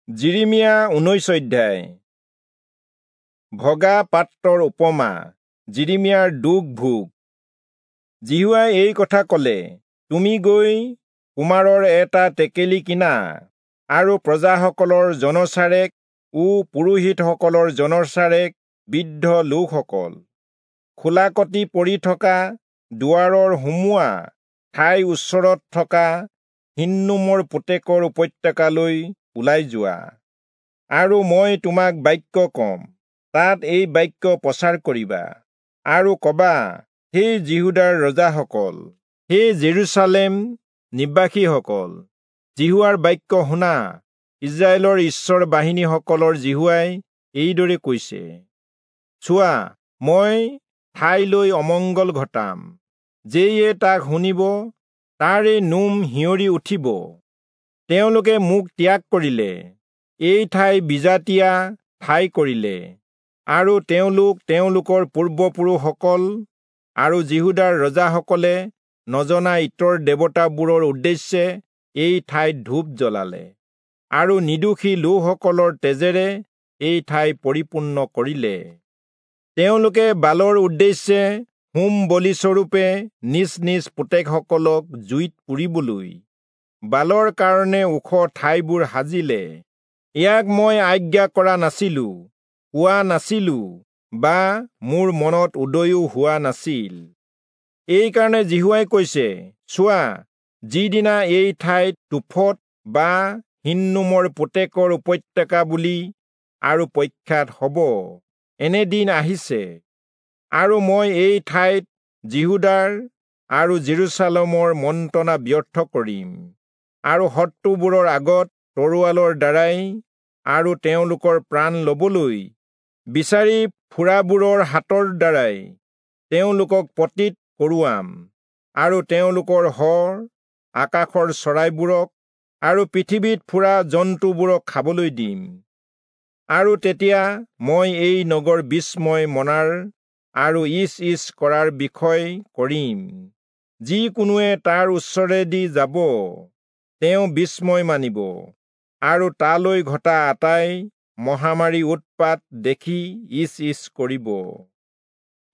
যিৰিমিয়া 19 অধ্যায়। ভগা পাত্ৰৰ উপমা, যিৰিমিয়াৰ দুখ ভোগ। যিহোৱাই এই কথা কলে, তুমি গৈ কুমাৰৰ এটা টেকেলি কিনা আৰু প্ৰজাসকলৰ জনচাৰেক ও পুৰোহিতসকলৰ জনচাৰেক বৃদ্ধ লোকসকল খোলাকটি পৰি থকা দুৱাৰৰ সুমোৱা ঠাইৰ ওচৰত থকা হিন্নোমৰ পুতেকৰ উপত্যকালৈ ওলাই যোৱা, আৰু মই তোমাক বাক্য কম, তাত এই বাক্য প্ৰচাৰ কৰিবা আৰু কবা, হে যিহূদাৰ ৰজাসকল, হে জেৰুচালেম নিবাসীসকল, যিহোৱাৰ বাক্য শুনা। ইস্ৰায়েলৰ ঈশ্বৰ বাহিনীসকলৰ যিহোৱাই এইদৰে কৈছে, চোৱা, মই ঠাইলৈ অমংগল ঘটাম, যেয়ে তাক শুনিব তাৰে নোম শিয়ৰি উঠিব। তেওঁলোকে মোক ত্যাগ কৰিলে, এই ঠাই বিজাতীয়া ঠাই কৰিলে, আৰু তেওঁলোক তেওঁলোকৰ পূৰ্বপুৰুষসকল আৰু যিহূদাৰ ৰজাসকলে নজনা ইতৰ দেৱতাবোৰৰ উদ্দেশ্যে এই ঠাইত ধূপ জ্বলালে, আৰু নিৰ্দোষী লোকসকলৰ তেজেৰে এই ঠাই পৰিপূৰ্ণ কৰিলে। তেওঁলোকে বালৰ উদ্দেশ্যে হোম বলিস্বৰূপে নিজ নিজ পুতেকসকলক জুইত পুৰিবলৈ বালৰ কাৰণে ওখ ঠাইবোৰ সাজিলে। ইয়াক মই আজ্ঞা কৰা নাছিলো, কোৱা নাছিলো, বা মোৰ মনত উদয়ো হোৱা নাছিল। এইকাৰণে যিহোৱাই কৈছে, চোৱা, যিদিনা এই ঠাইত তোফত বা হিন্নোমৰ পুতেকৰ উপত্যকা বুলি আৰু প্ৰখ্যাত হ'ব, এনে দিন আহিছে, আৰু মই এই ঠাইত যিহূদাৰ আৰু জেৰুচালেমৰ মন্ত্ৰণা ব্যৰ্থ কৰিম, আৰু শত্ৰুবোৰৰ আগত তৰোৱালৰ দ্বাৰাই আৰু তেওঁলোকৰ প্ৰাণ ল'বলৈ বিচাৰি ফুৰাবোৰৰ হাতৰ দ্বাৰাই তেওঁলোকক পতিত কৰোৱাম, আৰু তেওঁলোকৰ শৰ আকাশৰ চৰাইবোৰক আৰু পৃথিৱীত ফুৰা জন্তুবোৰক খাবলৈ দিম। আৰু তেতিয়া মই এই নগৰ বিস্ময় মনাৰ আৰু ইচ ইচ কৰাৰ বিষয় কৰিম। যিকোনোৱে তাৰ ওচৰেদি যাব তেওঁ বিস্ময় মানিব, আৰু তালৈ ঘটা আটাই মহামাৰী উৎপাত দেখি ইচ ইচ কৰিব।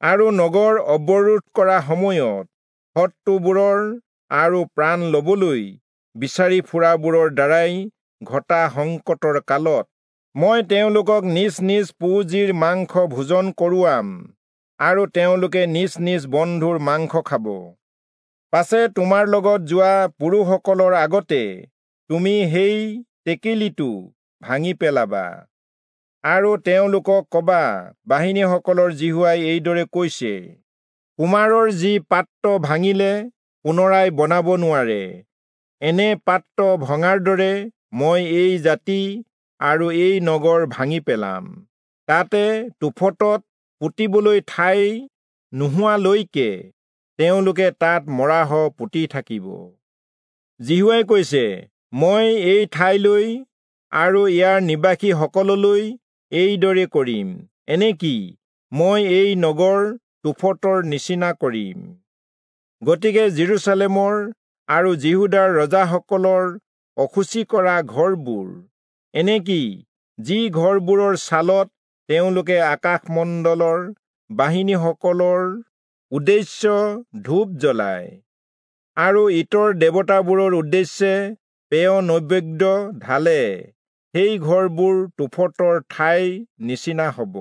আৰু নগৰ অৱৰোধ কৰা সময়ত শত্ৰুবোৰৰ আৰু প্ৰাণ ল'বলৈ বিচাৰি ফুৰাবোৰৰ দ্বাৰাই ঘটা সংকটৰ কালত মই তেওঁলোকক নিজ নিজ পুঁজিৰ মাংস ভোজন কৰোৱাম, আৰু তেওঁলোকে নিজ নিজ বন্ধুৰ মাংস খাব। পাছে তোমাৰ লগত যোৱা পুৰুষসকলৰ আগতে তুমি সেই টেকেলিটো ভাঙি পেলাবা, আৰু তেওঁলোকক কবা, বাহিনীসকলৰ যিহোৱাই এইদৰে কৈছে, কুমাৰৰ যি পাত্ৰ ভাঙিলে পুনৰাই বনাব নোৱাৰে, এনে পাত্ৰ ভঙাৰ দৰে মই এই জাতি আৰু এই নগৰ ভাঙি পেলাম, তাতে তোফতত পুতিবলৈ ঠাই নোহোৱালৈকে তেওঁলোকে তাত মৰাশ পুতি থাকিব। যিহোৱাই কৈছে, মই এই ঠাইলৈ আৰু ইয়াৰ নিবাসীসকললৈ এইদৰে কৰিম, এনেকি মই এই নগৰ তোফতৰ নিচিনা কৰিম। গতিকে জেৰুচালেমৰ আৰু যিহূদাৰ ৰজাসকলৰ অশুচি কৰা ঘৰবোৰ, এনেকি যি ঘৰবোৰৰ ছালত তেওঁলোকে আকাশমণ্ডলৰ বাহিনীসকলৰ উদ্দেশ্য ধূপ জ্বলায় আৰু ইতৰ দেৱতাবোৰৰ উদ্দেশ্যে পেয় নৈবেদ্য ঢালে, সেই ঘৰবোৰ তোফতৰ ঠাইৰ নিচিনা হ'ব।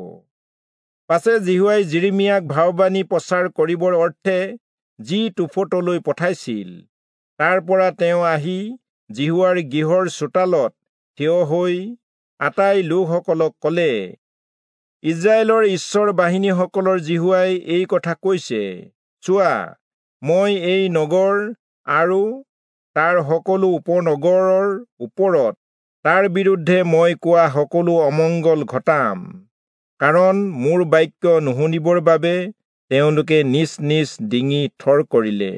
পাছে যিহোৱাই যিৰিমিয়াক ভাববাণী প্ৰচাৰ কৰিবৰ অৰ্থে যি তোফতলৈ পঠাইছিল, তাৰ পৰা তেওঁ আহি যিহোৱাৰ গৃহৰ চোতালত থিয় হৈ আটাই লোকসকলক কলে, ইস্ৰায়েলৰ ঈশ্বৰ বাহিনীসকলৰ যিহোৱাই এই কথা কৈছে, চোৱা, মই এই নগৰ আৰু তাৰ সকলো উপনগৰৰ ওপৰত তাৰ বিৰুদ্ধে মই কোৱা সকলো অমংগল ঘটাম, কাৰণ মোৰ বাক্য নুশুনিবৰ বাবে তেওঁলোকে নিজ নিজ ডিঙি থৰ কৰিলে।